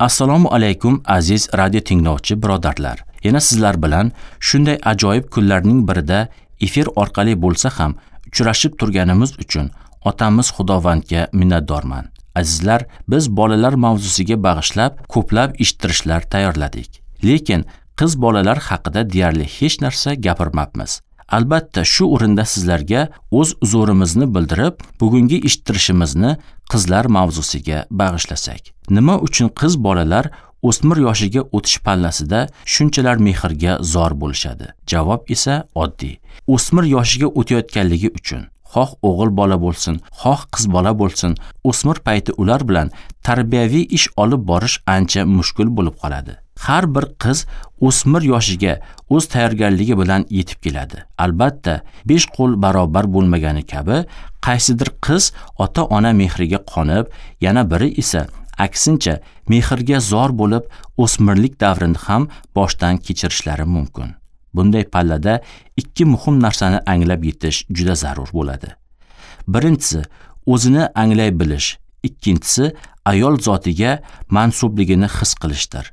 Assalomu alaykum aziz radio tinglovchi birodarlar. Yana sizlar bilan shunday ajoyib kunlarning birida efir orqali bo'lsa ham uchrashib turganimiz uchun otamiz Xudovandga minnatdorman. Azizlar, biz bolalar mavzusiga bag'ishlab ko'plab eshittirishlar tayyorladik. Lekin qiz bolalar haqida deyarli hech narsa gapirmabmiz. Albatta, shu o'rinda sizlarga o'z uzurimizni bildirib, bugungi eshittirishimizni qizlar mavzusiga bag'ishlasak. Nima uchun qiz bolalar o'smir yoshiga o'tish pallasida shunchalar mehrga zor bo'lishadi? Javob esa oddiy. O'smir yoshiga o'tayotganligi uchun. Xoh o'g'il bola bo'lsin, xoh qiz bola bo'lsin, o'smir payti ular bilan tarbiyaviy ish olib borish ancha mushkul bo'lib qoladi. Har bir qiz o'smir yoshiga o'z tayyorgarligi bilan yetib keladi. Albatta, 5 qo'l barobar bo'lmagani kabi, qaysidir qiz ota-ona mehriga qonib, yana biri esa aksincha mehrga zor bo'lib, o'smirlik davrini ham boshdan kechirishlari mumkin. Bunday pallada ikki muhim narsani anglab yetish juda zarur bo'ladi. Birinchisi, o'zini anglay bilish, ikkinchisi, ayol zotiga mansubligini his qilishdir.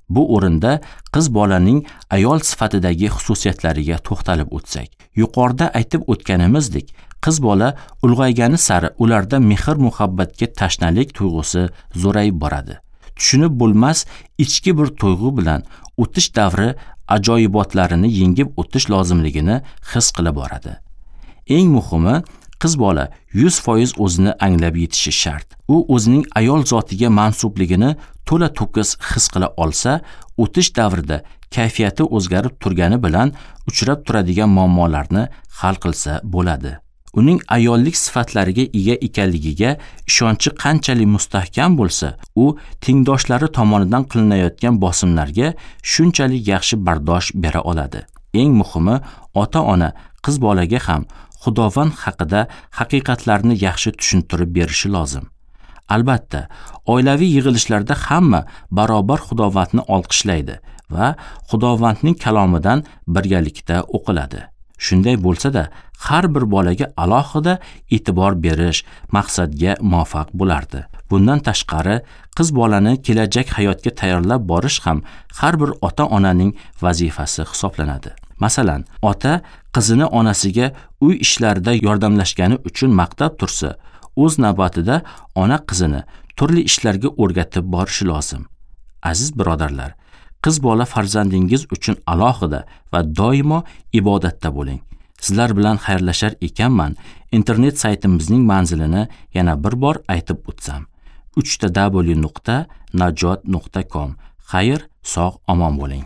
Bu o'rinda qiz bolaning ayol sifatidagi xususiyatlariga to'xtalib o'tsak, yuqorida aytib o'tganimizdek, qiz bola ulg'aygani sari ularda mehr-muhabbatga tashnalik tuyg'usi zo'rayib boradi. Tushunib bo'lmas ichki bir tuyg'u bilan o'tish davri ajoyibotlarini yengib o'tish lozimligini his qila boradi. Eng muhimi, qiz bola 100% o'zini anglab yetishi shart. U o'zining ayol zotiga mansubligini to'la to'kis his qila olsa, o'tish davrida kayfiyati o'zgarib turgani bilan uchrab turadigan muammolarni hal qilsa bo'ladi. Uning ayollik sifatlariga ega ekanligiga ishonchi qanchalik mustahkam bo'lsa, u tengdoshlari tomonidan qilinayotgan bosimlarga shunchalik yaxshi bardosh bera oladi. Eng muhimi, ota-ona qiz bolaga ham Xudovand haqida haqiqatlarni yaxshi tushuntirib berishi lozim. Albatta, oilaviy yig'ilishlarda hamma barobar Xudovandni olqishlaydi va Xudovandning kalomidan birgalikda o'qiladi. Shunday bo'lsa-da, har bir bolaga alohida e'tibor berish maqsadga muvofiq bo'lardi. Bundan tashqari, qiz bolani kelajak hayotga tayyorlab borish ham har bir ota-onaning vazifasi hisoblanadi. Masalan, ota qizini onasiga uy ishlarida yordamlashgani uchun maqtab tursa, o'z navbatida ona qizini turli ishlarga o'rgatib borishi lozim. Aziz birodarlar, qiz bola farzandingiz uchun alohida va doimo ibodatda bo'ling. Sizlar bilan xayrlashar ekanman, internet saytimizning manzilini yana bir bor aytib o'tsam: www.najot.com. Xayr, sog' omon bo'ling.